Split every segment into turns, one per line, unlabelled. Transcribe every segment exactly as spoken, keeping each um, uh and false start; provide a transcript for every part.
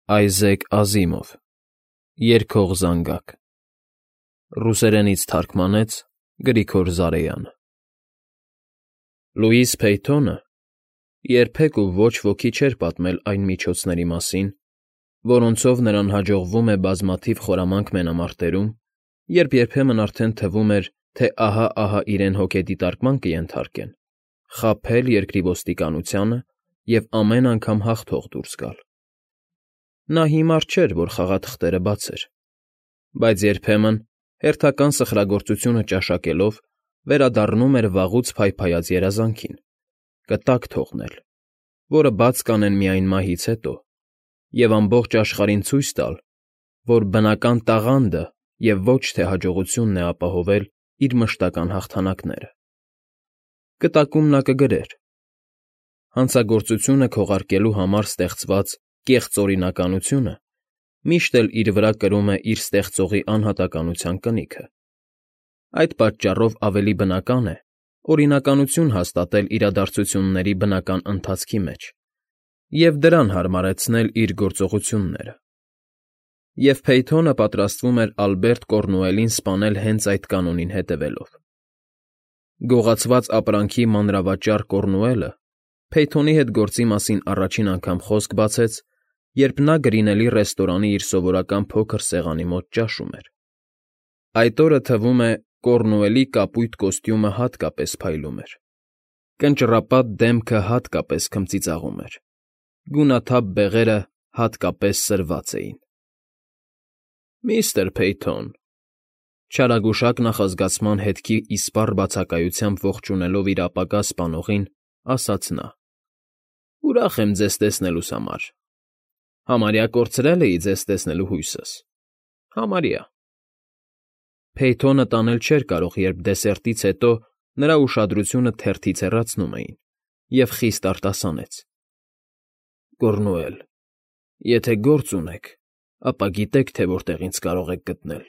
Այզեք Ազիմով Երգող զանգակ Ռուսերենից թարգմանեց Գրիգոր Զարեյանը Լուիս Փեյթոնը երբեք ու ոչ ոքի չէր պատմել այն միջոցների մասին, որոնցով նրան հաջողվում է բազմաթիվ խորամանկ մենամարտերում, երբ երբեմն արդեն թվում էր, թե ահա֊ահա իրեն հոգեդիտարկման կենթարկեն, խաբել երկրի ոստիկանությանը և ամեն անգամ հաղթող դուրս գալ։ Նա հիմար չէր, որ խաղաթղթերը բացեր, բայց երբեմն, հերթական սխրագործությունը ճաշակելով, վերադառնում էր վաղուց փայփայած երազանքին, կտակ թողնել, որը բաց կանեն միայն մահից հետո, և ամբողջ աշխարհին ցույց տալ, որ բնական տաղանդը և ոչ թե հաջողությունն է ապահովել իր մշտական հաղթանակները։ Կտակում նա կգրեր. «Հանցագործությունը քողարկելու համար ստեղծված կեղծ օրինականությունը միշտ էլ իր վրա կրում է իր ստեղծողի անհատականության կնիքը։ Այդ պատճառով ավելի բնական է օրինականություն հաստատել իրադարձությունների բնական ընթացքի մեջ և դրան հարմարեցնել իր գործողությունները։ Եվ Փեյթոնը պատրաստվում էր Ալբերտ Կոռնուելին սպանել հենց այդ կանոնին հետևելով։ Գողացված ապրանքի մանրավաճառ Կոռնուելը Փեյթոնի հետ գործի մասին առաջին անգամ խոսք բացեց, երբ նա Գրինելի ռեստորանի իր սովորական փոքր սեղանի մոտ ճաշում էր։ Այդ օրը, թվում է, Կոռնուելի կապույտ կոստյումը հատկապես փայլում էր, կնճռապատ դեմքը հատկապես քմծիծաղում էր, գունաթափ բեղերը հատկապես սրված էին։ ֊ Միստր Փեյթոն,֊ չարագուշակ նախազգացման հետքի իսպառ բացակայությամբ ողջունելով իր ապագա սպանողին, ասաց նա,֊ ուրախ եմ ձեզ տեսնելուս համար, համարյա կորցրել էի ձեզ տեսնելու հույսս, համարյա… Փեյթոնը տանել չէր կարող, երբ դեսերտից հետո նրա ուշադրությունը թերթից հեռացնում էին, և խիստ արտասանեց,֊ Կոռնուել, եթե գործ ունեք, ապա գիտեք, թե որտեղ ինձ կարող եք գտնել։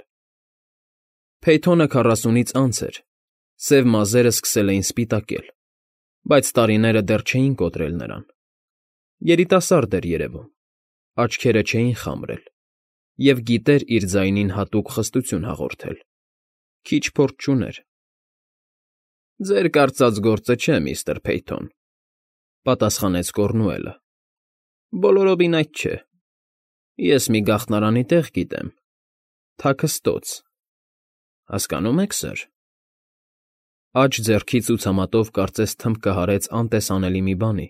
Փեյթոնը քառասունից անց էր, սև մազերը սկսել էին սպիտակել, բայց տարիները դեռ չէին կոտրել նրան։ Երիտասարդ էր երևում, աչքերը չէին խամրել, և գիտեր իր ձայնին հատուկ խստություն հաղորդել, քիչ փորձ չուներ։ ֊ Ձեր կարծած գործը չէ, միստր Փեյթոն,֊ պատասխանեց Կոռնուելը,֊ բոլորովին այդ չէ։ Ես մի գաղտնարանի տեղ գիտեմ, Թաքստոց… Հասկանո՞ւմ եք, սըր… Աջ ձեռքի ցուցամատով կարծես թմբկը հարեց անտեսանելի մի բանի,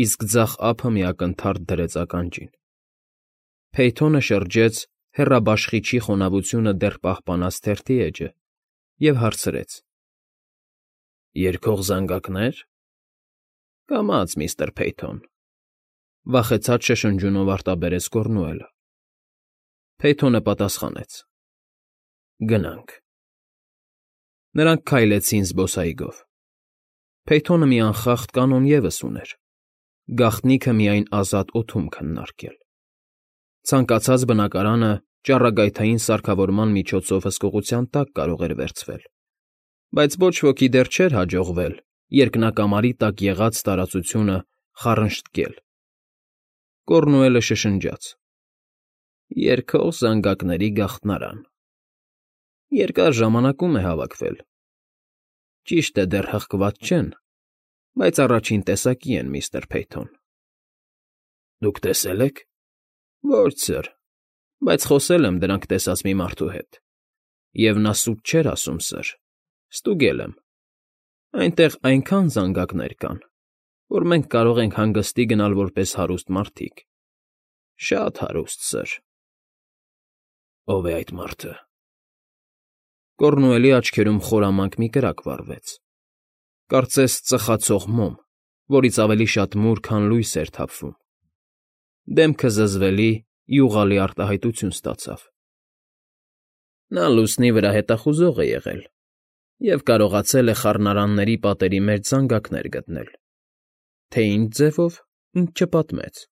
իսկ ձախ ափը մի ակնթարթ դրեց ականջին։ Փեյթոնը շրջեց հեռաբաշխիչի խոնավությունը դեռ պահպանած թերթի էջը և հարցրեց. ֊ Երգող զանգակնե՞ր… Կամաց, միստր Փեյթոն,֊ վախեցած շշնջյունով արտաբերեց Կոռնուելը։ Փեյթոնը պատասխանեց. ֊ Գնանք… Նրանք քայլեցին զբոսայգով։ Փեյթոնը մի անխախտ կանոն ևս ուներ՝ գաղտնիքը միայն ազատ օդում քննարկել։ Ցանկացած բնակարանը ճառագայթային սարքավորման միջոցով հսկողության տակ կարող էր վերցվել, բայց ոչ ոքի դեռ չէր հաջողվել երկնակամարի տակ եղած տարածությունը խառնշտկել։ Կոռնուելը շշնջաց. ֊ Երգող զանգակների գաղտնարան… Երկար ժամանակում է հավաքվել… Ճիշտ է, դեռ հղկված չեն, բայց առաջին տեսակի են, միստր Փեյթոն։ ֊ Դուք տեսե՞լ եք։ ֊ Ոչ, սըր, բայց խոսել եմ դրանք տեսած մի մարդու հետ, և նա սուտ չէր ասում, սըր, ստուգել եմ… Այնտեղ այնքան զանգակներ կան, որ մենք կարող ենք հանգստի գնալ որպես հարուստ մարդիկ… Շատ հարուստ, սըր… ֊ Ո՞վ է այդ մարդը։ Կոռնուելի աչքերում խորամանկ մի կրակ վառվեց, կարծես ծխացող մոմ, որից ավելի շատ մուր, քան լույս էր թափվում։ Դեմքը զզվելի, յուղալի արտահայտություն ստացավ։ ֊ Նա լուսնի վրա հետախուզող է եղել և կարողացել է խառնարանների պատերի մեջ զանգակներ գտնել, թե ինչ ձևով, ինձ չպատմեց,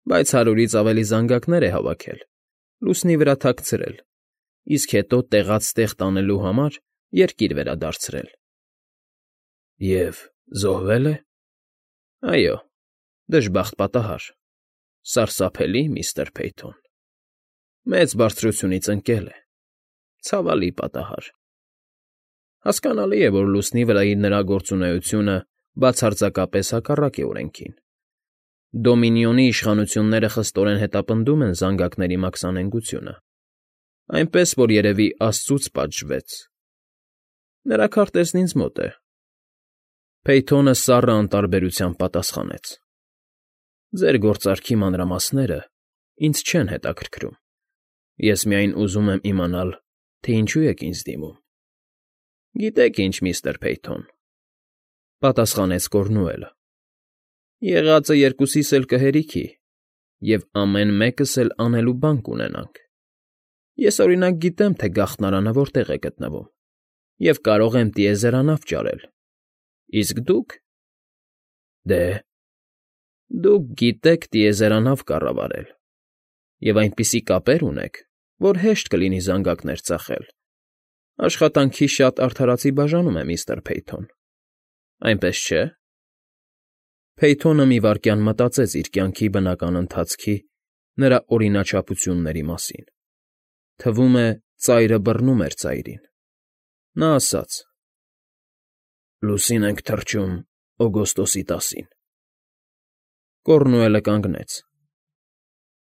բայց հարյուրից ավելի զանգակներ է հավաքել, լուսնի վրա թաքցրել, իսկ հետո տեղաց տեղ տանելու համար երկիր վերադարձրել։ ֊ Եվ զոհվե՞լ է։ ֊ Այո, դժբախտ պատահար։ Սարսափելի, միստր Փեյթոն, մեծ բարձրությունից ընկել է, ցավալի պատահար… Հասկանալի է, որ լուսնի վրայի նրա գործունեությունը բացարձակապես հակառակ է օրենքին. Դոմինիոնի իշխանությունները խստորեն հետապնդում են զանգակների մաքսանենգությունը, այնպես որ երևի աստծուց պատժվեց… Նրա քարտեզն ինձ մոտ է… Փեյթոնը սառը անտարբերությամբ պատասխանեց. Ձեր գործարքի մանրամասները ինձ չեն հետաքրքրում, ես միայն ուզում եմ իմանալ, թե ինչու եք ինձ դիմում։ ֊ Գիտեք ինչ, միստր Փեյթոն,֊ պատասխանեց Կոռնուելը,֊ եղածը երկուսիս էլ կհերիքի, և ամեն մեկս էլ անելու բան կունենանք… Ես, օրինակ, գիտեմ, թե գաղտնարանը որտեղ է գտնվում և կարող եմ տիեզերանավ ճարել, իսկ դուք… Դե, դուք գիտեք տիեզերանավ կառավարել և այնպիսի կապեր ունեք, որ հեշտ կլինի զանգակներ ծախել… Աշխատանքի շատ արդարացի բաժանում է, միստր Փեյթոն, այնպես չէ՞… Փեյթոնը մի վայրկյան մտածեց իր կյանքի բնական ընթացքի նրա օրինաչափությունների մասին. թվում է, ծայրը բռնում էր ծայրին… Նա ասաց. Լուսին ենք թռչում օգոստոսի տասին… Կոռնուելը կանգնեց.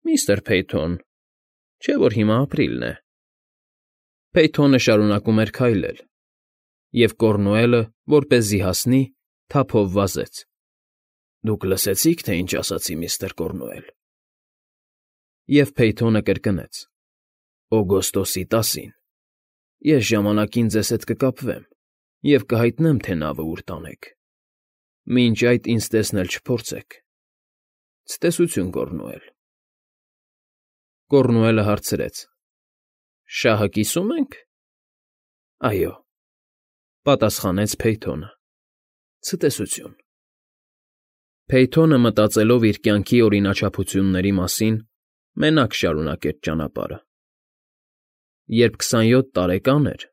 Միստր Փեյթոն, չէ՞ որ հիմա ապրիլն է… Փեյթոնը շարունակում էր քայլել, և Կոռնուելը, որպեսզի հասնի, թափով վազեց. Դուք լսեցի՞ք, թե ինչ ասացի, միստր Կոռնուել… Եվ Փեյթոնը կրկնեց. Օգոստոսի տասին… Ես ժամանակին ձեզ հետ կկապվեմ և կհայտնեմ, թե նավը ուր տանեք… Մինչ այդ ինձ տեսնել չփորձեք… Ցտեսություն, Կոռնուել… Կոռնուելը հարցրեց. Շահը կիսո՞ւմ ենք։ ֊ Այո,֊ պատասխանեց Փեյթոնը,֊ ցտեսություն… Փեյթոնը, մտածելով իր կյանքի օրինաչափությունների մասին, մենակ շարունակեց ճանապարհը… Երբ քսանյոթ տարեկան էր,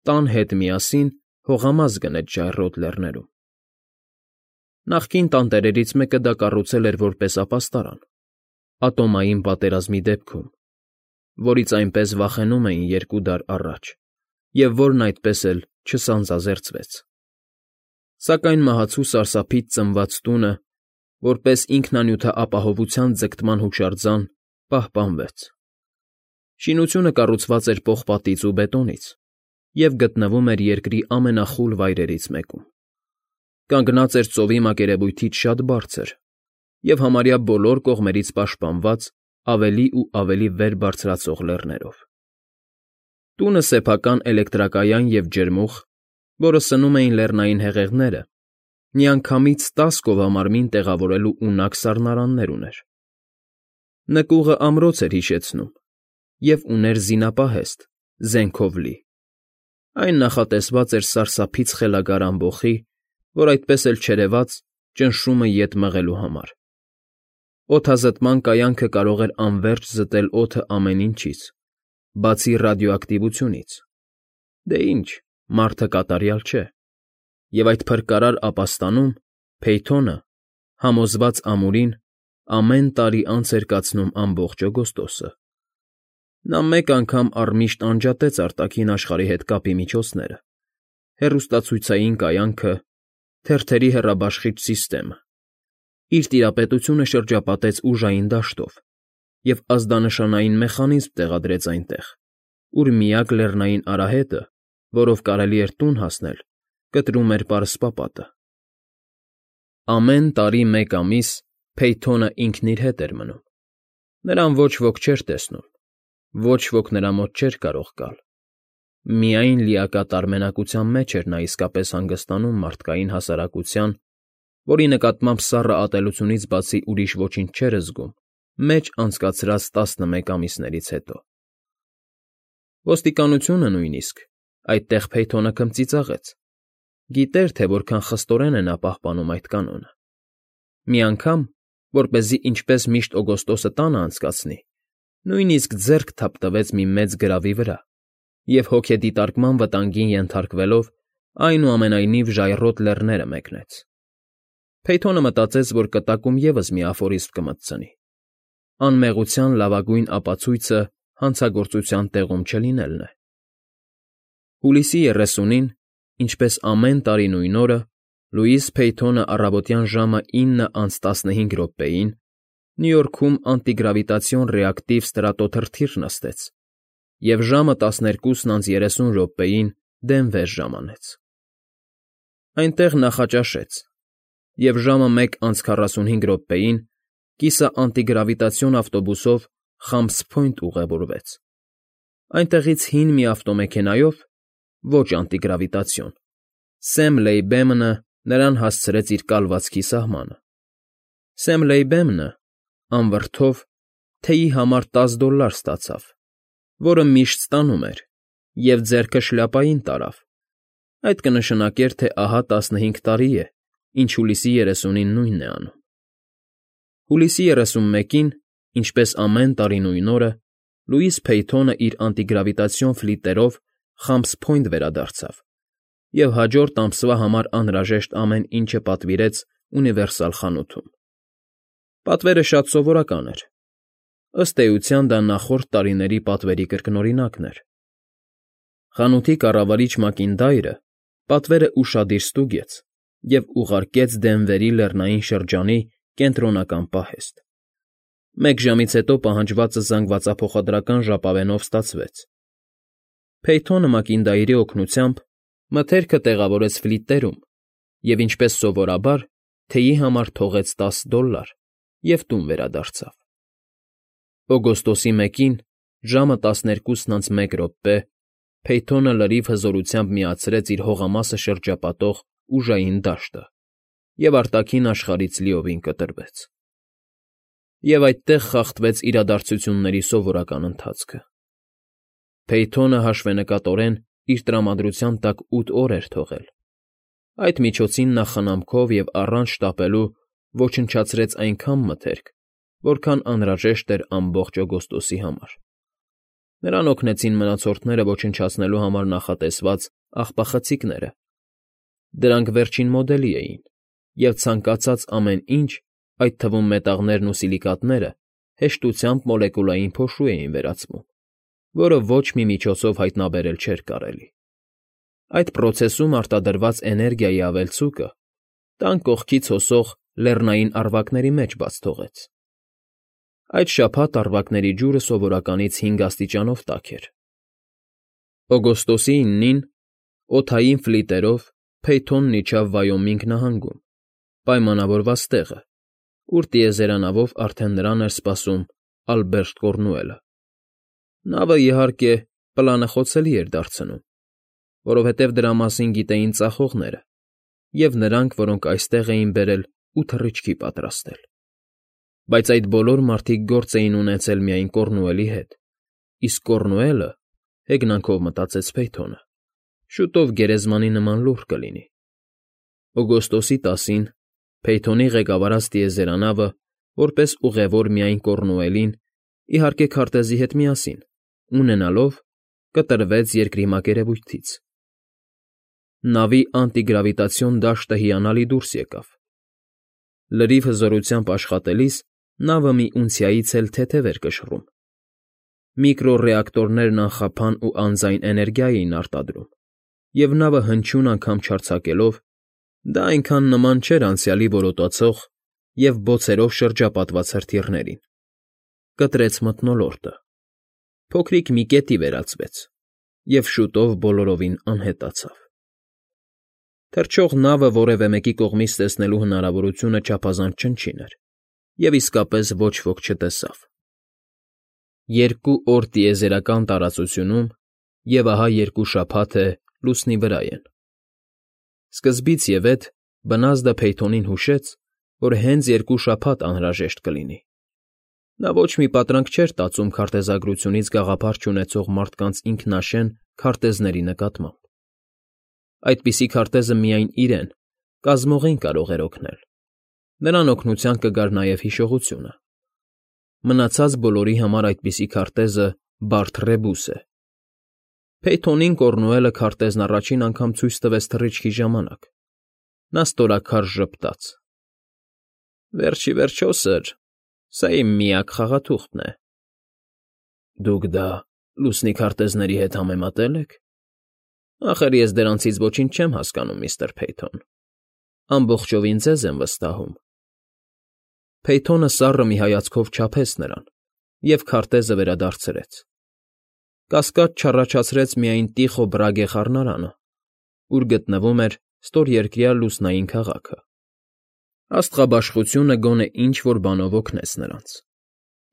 տան հետ միասին հողամաս գնեց ժայռոտ լեռներում… Նախկին տանտերերից մեկը դա կառուցել էր որպես ապաստարան, ատոմային պատերազմի դեպքում, որից այնպես վախենում էին երկու դար առաջ և որն այդպես էլ չսանձազերծվեց… Սակայն մահացու սարսափից ծնված տունը, որպես ինքնանյութաապահովության ձգտման հուշարձան, պահպանվեց… Շինությունը կառուցված էր պողպատից ու բետոնից և գտնվում էր երկրի ամենախուլ վայրերից մեկում… Կանգնած էր ծովի մակերևույթից շատ բարձր և համարյա բոլոր կողմերից պաշտպանված ավելի ու ավելի վեր բարձրացող լեռներով… Տունը սեփական էլեկտրակայան և ջերմուղ, որը սնում էին լեռնային հեղեղները, միանգամից տաս կովամարմին տեղավորելու ունակ սառնարաններ ուներ… Նկուղը ամրոց էր հիշեցնում և ուներ զինապահեստ, զենքով լի… Այն նախատեսված էր սարսափից խելագար ամբոխի, որ այդպես էլ չերևաց, ճնշումը ետ մղելու համար… Օդազտման կայանքը կարող էր անվերջ զտել օդը ամեն ինչից, բացի ռադիոակտիվությունից… Դե ինչ, մարդը կատարյալ չէ… Եվ այդ փրկարար ապաստանում Փեյթոնը, համոզված ամուրին, ամեն տարի անց էր կացնում ամբողջ օգոստոսը… Նա մեկ անգամ առմիշտ անջատեց արտաքին աշխարհի հետ կապի միջոցները, հեռուստացույցային կայանքը, թերթերի հեռաբաշխիչ սիստեմը, իր տիրապետությունը շրջապատեց ուժային դաշտով և ազդանշանային մեխանիզմ տեղադրեց այնտեղ, ուր միակ լեռնային արահետը, որով կարելի էր տուն հասնել, կտրում էր պարսպապատը… Ամեն տարի մեկ ամիս Փեյթոնը ինքն իր հետ էր մնում… Նրան ոչ ոք չէր տեսնում, ոչ ոք նրա մոտ չէր կարող գալ… Միայն լիակատար մենակության մեջ էր նա իսկապես հանգստանում մարդկային հասարակության, որի նկատմամբ սառը ատելությունից բացի ուրիշ ոչինչ չէր զգում, մեջ անցկացրած տասնմեկ ամիսներից հետո… Ոստիկանությունը նույնիսկ (այդտեղ Փեյթոնը քմծիծաղեց) գիտեր, թե որքան խստորեն է նա պահպանում այդ կանոնը… Մի անգամ, որպեսզի ինչպես միշտ օգոստոսը տանը անցկացնի, նույնիսկ ձեռք թափտվեց մի մեծ գրավի վրա և հոգեդիտարկման վտանգին ենթարկվելով, այնուամենայնիվ ժայռոտ լեռները մեկնեց… Փեյթոնը մտածեց, որ կտակում ևս մի աֆորիստ կմտցնի, Անմեղության լավագույն ապացույցը հանցագործության տեղում չլինելն է։ Հուլիսի երեսունին, ինչպես ամեն տարի նույն օրը, Լուիս Փեյթոնը առավոտյան ժամը ինը անց տասնհինգ րոպեին Նյու Յորքում անտիգրավիտացիոն ռեակտիվ ստրատոթրթիր նստեց և ժամը տասներկուսն անց երեսուն րոպեին Դենվեր ժամանեց։ Այնտեղ նախաճաշեց, և ժամը մեկ անց քառասունհինգ րոպեին կիսաանտիգրավիտացիոն ավտոբուսով Խամփս Փոյնթ ուղևորվեց։ Այնտեղից հին մի ավտոմեքենայով (ոչ անտիգրավիտացիոն) Սեմ Լեյբեմնը նրան հասցրեց իր կալվածքի սահմանը։ Սեմ Լեյբեմնը, անվրդով, թեյի համար տասը դոլլար ստացավ, որը միշտ ստանում էր, և ձեռքը շլյապային տարավ. այդ կնշանակեր, թե ահա տասնհինգ տարի է, ինչ հուլիսի երեսունին նույնն է անում։ Հուլիսի երեսունմեկին, ինչպես ամեն տարի նույն օրը, Լուիս Փեյթոնը իր անտիգրավիտացիոն ֆլիտերով Խամփս Փոյնթ վերադարձավ և հաջորդ ամսվա համար անհրաժեշտ ամեն ինչը պատվիրեց Ունիվերսալ խանութում։ Պատվերը շատ սովորական էր. ըստ էության դա նախորդ տարիների պատվերի կրկնօրինակն էր։ Խանութի կառավարիչ Մակինդայրը պատվերը ուշադիր ստուգեց և ուղարկեց Դենվերի լեռնային շրջանի կենտրոնական պահեստ։ Մեկ ժամից հետո պահանջվածը զանգվածափոխադրական ժապավենով ստացվեց։ Փեյթոնը Մակինդայրի օգնությամբ մթերքը տեղավորեց ֆլիտերում և, ինչպես սովորաբար, թեյի համար թողեց տասը դոլլար և տուն վերադարձավ։ Օգոստոսի մեկին, ժամը տասներկուսն անց մեկ րոպե, Փեյթոնը լրիվ հզորությամբ միացրեց իր հողամասը շրջապատող ուժային դաշտը և արտաքին աշխարհից լիովին կտրվեց։ Եվ այդտեղ խախտվեց իրադարձությունների սովորական ընթացքը։ Փեյթոնը հաշվենկատորեն իր տրամադրության տակ ութ օր էր թողել։ Այդ միջոցին նա խնամքով և առանց շտապելու ոչնչացրեց այնքան մթերք, որքան անհրաժեշտ էր ամբողջ օգոստոսի համար։ Նրան օգնեցին մնացորդները ոչնչացնելու համար նախատեսված աղբախցիկները։ Դրանք վերջին մոդելի էին, և ցանկացած ամեն ինչ, այդ թվում մետաղներն ու սիլիկատները, հեշտությամբ մոլեկուլային փոշու էին վերածվում, որը ոչ մի միջոցով հայտնաբերել չէր կարելի։ Այդ պրոցեսում արտադրված էներգիայի ավելցուկը տան կողքից հոսող լեռնային առվակների մեջ բաց թողեց։ Այդ շաբաթ առվակների ջուրը սովորականից հինգ աստիճանով տաք էր։ Օգոստոսի իննին օդային ֆլիտերով Փեյթոնն իջավ Վայոմինգ նահանգում, պայմանավորված տեղը, ուր տիեզերանավով արդեն նրան էր սպասում Ալբերտ Կոռնուելը։ Նավը, իհարկե, պլանը խոցելի էր դարձնում, որովհետև դրա մասին գիտեին ծախողները և նրանք, որոնք այստեղ էին բերել ու թռիչքի պատրաստել։ Բայց այդ բոլոր մարդիկ գործ էին ունեցել միայն Կոռնուելի հետ, իսկ Կոռնուելը, հեգնանքով մտածեց Փեյթոնը, շուտով գերեզմանի նման լուռ կլինի։ Օգոստոսի տասին Փեյթոնի ղեկավարած տիեզերանավը, որպես ուղևոր միայն Կոռնուելին, իհարկե քարտեզի հետ միասին, ունենալով, կտրվեց երկրի մակերևույթից։ Նավի անտիգրավիտացիոն դաշտը հիանալի դուրս եկավ։ Լրիվ հզորությամբ աշխատելիս նավը մի ունցիայից էլ թեթև էր կշռում։ Միկրոռեակտորներն անխափան ու անձայն էներգիա էին արտադրում, և նավը հնչյուն անգամ չարձակելով, դա այնքան նման չէր անցյալի որոտացող և բոցերով շրջապատված հրթիռներին, կտրեց մթնոլորտը, փոքրիկ մի կետի վերածվեց և շուտով բոլորովին անհետացավ։ Թռչող նավը որևէ մեկի կողմից տեսնելու հնարավորությունը չափազանց չնչին էր, և իսկապես ոչ ոք չտեսավ։ Երկու օր տիեզերական տարածությունում, և ահա երկու շաբաթ է լուսնի վրա են։ Սկզբից և էդ բնազդը Փեյթոնին հուշեց, որ հենց երկու շաբաթ անհրաժեշտ կլինի։ Նա ոչ մի պատրանք չէր տածում քարտեզագրությունից գաղափար չունեցող մարդկանց ինքնաշեն քարտեզների նկատմամբ։ Այդպիսի քարտեզը միայն իրեն, կազմողին կարող էր օգնել։ Նրան օգնության կգար նաև հիշողությունը։ Մնացած բոլորի համար այդպիսի քարտեզը բարդ ռեբուս է։ Փեյթոնին Կոռնուելը քարտեզն առաջին անգամ ցույց տվեց թռիչքի ժամանակ։ Նա ստորաքարշ ժպտաց. ֊ Վերջ ի վերջո, սըր, Սա իմ միակ խաղաթուղթն է։ Դուք դա լուսնի քարտեզների հետ համեմատե՞լ եք։ Ախր ես դրանցից ոչինչ չեմ հասկանում, միստր Փեյթոն, ամբողջովին ձեզ եմ վստահում։ Փեյթոնը սառը մի հայացքով չափեց նրան և քարտեզը վերադարձրեց։ Կասկած չառաջացրեց միայն Տիխո Բրագե խառնարանը, ուր գտնվում էր ստորերկրյա լուսնային քաղաքը։ Աստղաբաշխությունը գոնե ինչ֊որ բանով օգնեց նրանց։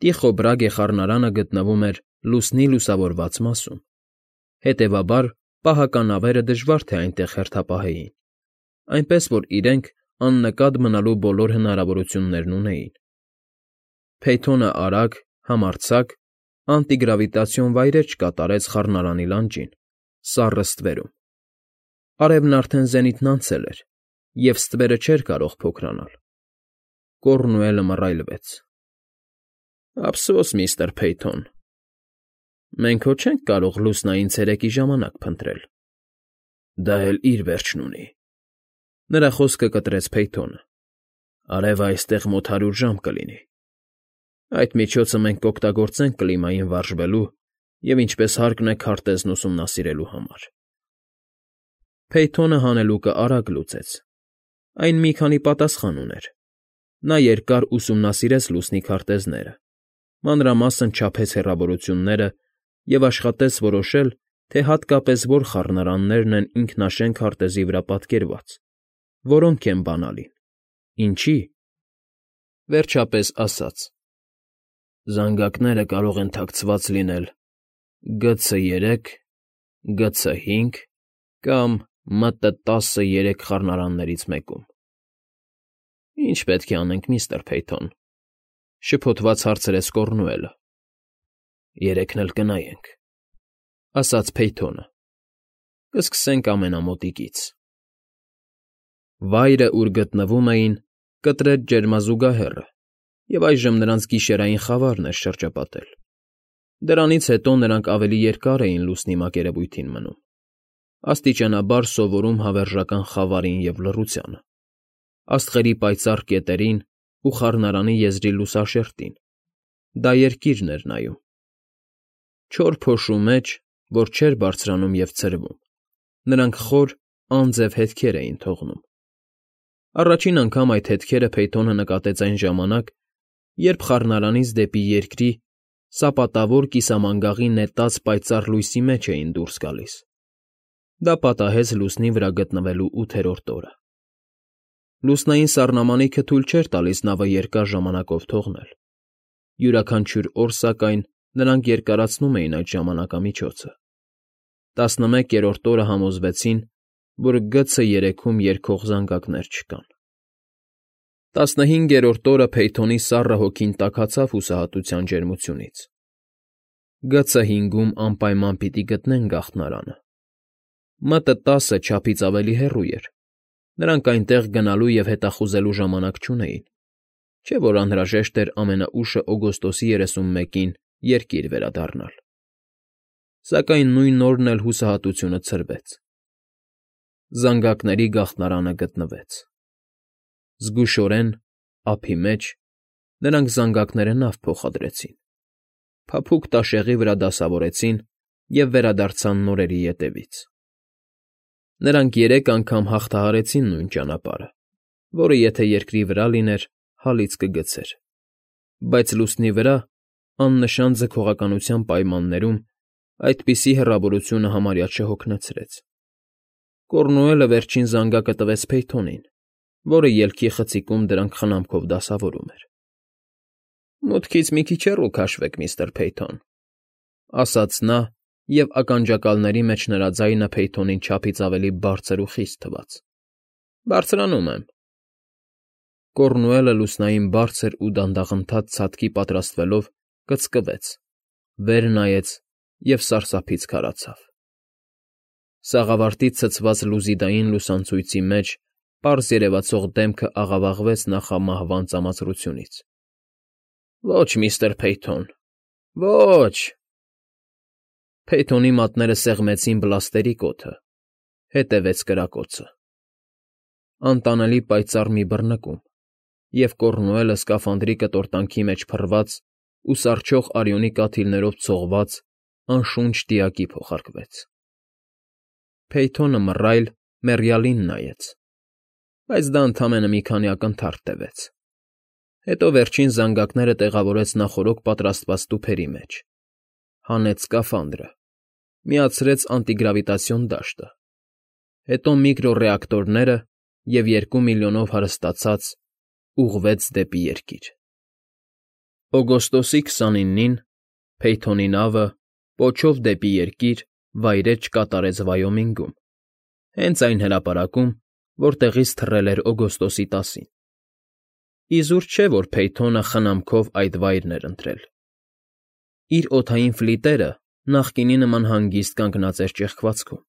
Տիխո Բրագե խառնարանը գտնվում էր լուսնի լուսավորված մասում, հետևաբար պահականավերը դժվար թե այնտեղ հերթապահեին, այնպես որ իրենք աննկատ մնալու բոլոր հնարավորություններն ունեին։ Փեյթոնը արագ, համարձակ, անտիգրավիտացիոն վայրէջք կատարեց խառնարանի լանջին, սառը ստվերում։ Արևն արդեն զենիթն անցել էր, և ստվերը չէր կարող փոքրանալ։ Կոռնուելը մռայլվեց։ Ափսոս, միստր Փեյթոն, մենք հո չենք կարող լուսնային ցերեկի ժամանակ փնտրել։ Դա էլ իր վերջն ունի։ Նրա խոսքը կտրեց Փեյթոնը։ Արևը այստեղ մոտ հարյուր ժամ կլինի։ Այդ միջոցը մենք կօգտագործենք կլիմային վարժվելու և ինչպես հարկն է քարտեզն ուսումնասիրելու համար։ Փեյթոնը հանելուկը արագ լուծեց։ Այն մի քանի պատասխան ուներ։ Նա երկար ուսումնասիրեց լուսնի քարտեզները, մանրամասն չափեց հեռավորությունները և աշխատեց որոշել, թե հատկապես որ խառնարաններն են ինքնաշեն քարտեզի վրա պատկերված, որոնք են բանալին, ինչի՞։ Վերջապես ասաց. Զանգակները կարող են թաքցված լինել Գ Ց երեք, Գ Ց հինգ կամ Մ Տ տասը երեք խառնարաններից մեկում։ Ի՞նչ պետք է անենք, միստր Փեյթոն,֊ շփոթված հարցրեց Կոռնուելը։ Երեքն էլ կնայենք,֊ ասաց Փեյթոնը։ Կսկսենք ամենամոտիկից։ Վայրը, ուր գտնվում էին, կտրեց ջերմազուգահեռը, և այժմ նրանց գիշերային խավարն էր շրջապատել։ Դրանից հետո նրանք ավելի երկար էին լուսնի մակերևույթին մնում, աստիճանաբար սովորում հավերժական խավարին և լռությանը, աստղերի պայծառ կետերին ու խառնարանի եզրի լուսաշերտին։ Դա երկիրն էր նայում։ Չոր փոշու մեջ, որ չէր բարձրանում և ցրվում, նրանք խոր, անձև հետքեր էին թողնում։ Առաջին անգամ այդ հետքերը Փեյթոնը նկատեց այն ժամանակ, երբ խառնարանից դեպի երկրի սապատավոր կիսամանգաղի նետած պայծառ լույսի մեջ էին դուրս գալիս։ Դա պատահեց լուսնի վրա գտնվելու ութերորդ օրը։ Լուսնային սառնամանիքը թույլ չէր տալիս նավը երկար ժամանակով թողնել։ Յուրաքանչյուր օր, սակայն, նրանք երկարացնում էին այդ ժամանակամիջոցը։ Տասնմեկերորդ օրը համոզվեցին, որ Գ Ց երեքում երգող զանգակներ չկան։ Տասնհինգերորդ օրը Փեյթոնի սառը հոգին տաքացավ հուսահատության ջերմությունից։ Գ Ց հինգում անպայման պիտի գտնեն գաղթնարանը։ Մ Տ տասը չափից ավելի հեռու էր։ Նրանք այնտեղ գնալու և հետախուզելու ժամանակ չունեին, չէ՞ որ անհրաժեշտ էր ամենաուշը օգոստոսի երեսունմեկին երկիր վերադառնալ։ Սակայն նույն օրն էլ հուսահատությունը ցրվեց։ Զանգակների գաղթնարանը գտնվեց։ Զգուշորեն, ափի մեջ, նրանք զանգակները նավ փոխադրեցին, փափուկ տաշեղի վրա դասավորեցին և վերադարձան նորերի ետևից։ Նրանք երեք անգամ հաղթահարեցին նույն ճանապարհը, որը եթե երկրի վրա լիներ, հալից կգցեր, բայց լուսնի վրա, աննշան ձգողականության պայմաններում, այդպիսի հեռավորությունը համարյա չհոգնեցրեց։ Կոռնուելը վերջին զանգակը տվեց Փեյթոնին, որը ելքի խցիկում դրանք խնամքով դասավորում էր։ Մուտքից մի քիչ հեռու քաշվեք, միստր Փեյթոն,֊ ասաց նա, և ականջակալների մեջ նրա ձայնը Փեյթոնին չափից ավելի բարձր ու խիստ թվաց։ Բարձրանում եմ։ Կոռնուելը լուսնային բարձր ու դանդաղընթաց ցատկի պատրաստվելով կծկվեց, վեր նայեց և սարսափից քարացավ։ Սաղավարտից ցցված լուզիդային լուսանցույցի մեջ պարզ երևացող դեմքը աղավաղվեց նախամահվան ծամածրությունից։ Ոչ, միստր Փեյթոն, ոչ… Փեյթոնի մատները սեղմեցին բլաստերի կոթը, հետևեց կրակոցը։ Անտանելի պայծառ մի բռնկում, և Կոռնուելը սկաֆանդրի կտորտանքի մեջ փռված ու սառչող արյունի կաթիլներով ցողված անշունչ դիակի փոխարկվեց։ Փեյթոնը մռայլ, մեռյալին նայեց, բայց դա ընդամենը մի քանի ակնթարթ տևեց։ Հետո վերջին զանգակները տեղավորեց նախօրոք պատրաստված տուփերի մեջ, հանեց սկաֆանդրը, միացրեց անտիգրավիտացիոն դաշտը, հետո միկրոռեակտորները և երկու միլիոնով հարստացած ուղղվեց դեպի երկիր։ Օգոստոսի քսանինին Փեյթոնի նավը պոչով դեպի երկիր վայրէջք կատարեց Վայոմինգում, հենց այն հրապարակում, որտեղից թռել էր օգոստոսի տասին։ Իզուր չէ, որ Փեյթոնը խնամքով այդ վայրն էր ընտրել։ Իր օդային ֆլիտերը նախկինի նման հանգիստ կանգնած էր ճեղքվածքում,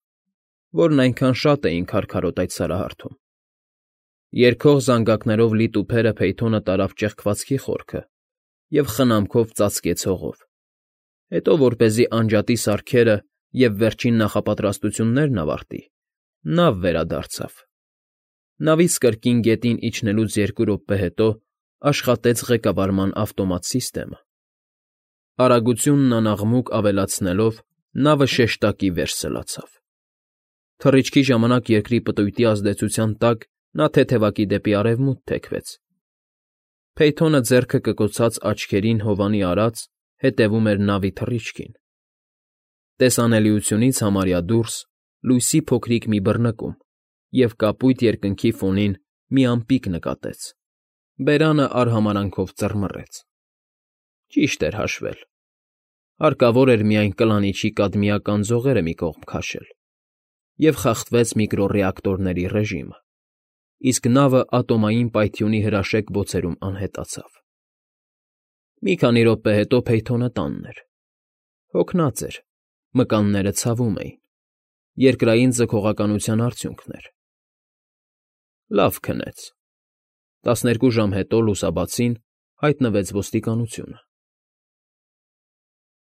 որն այնքան շատ էին քարքարոտ այդ սարահարթում։ Երգող զանգակներով լի տուփերը Փեյթոնը տարավ ճեղքվածքի խորքը և խնամքով ծածկեց հողով, հետո, որպեսզի անջատի սարքերը և վերջին նախապատրաստություններն ավարտի, նավ վերադարձավ։ Նավից կրկին գետին իջնելուց երկու րոպե հետո աշխատեց ղեկավարման ավտոմատ սիստեմը։ Արագությունն անաղմուկ ավելացնելով՝ նավը շեշտակի վեր սլացավ։ Թռիչքի ժամանակ երկրի պտույտի ազդեցության տակ նա թեթևակի դեպի արևմուտք թեքվեց։ Փեյթոնը ձեռքը կկոցած աչքերին հովանի արած հետևում էր նավի թռիչքին։ Տեսանելիությունից համարյա դուրս լույսի փոքրիկ մի բռնկում և կապույտ երկնքի ֆոնին մի ամպիկ նկատեց։ Բերանը արհամարհանքով ծռմռեց։ Ճիշտ էր հաշվել։ Հարկավոր էր միայն կլանիչի կադմիական ձողերը մի կողմ քաշել, և խախտվեց միկրոռեակտորների ռեժիմը, իսկ նավը ատոմային պայթյունի հրաշեկ բոցերում անհետացավ։ Մի քանի րոպե հետո Փեյթոնը տանն էր։ Հոգնած էր, մկանները ցավում էին, երկրային ձգողականության արդյունքն էր։ Լավ քնեց։ Տասներկու ժամ հետո լուսաբացին հայտնվեց ոստիկանությունը։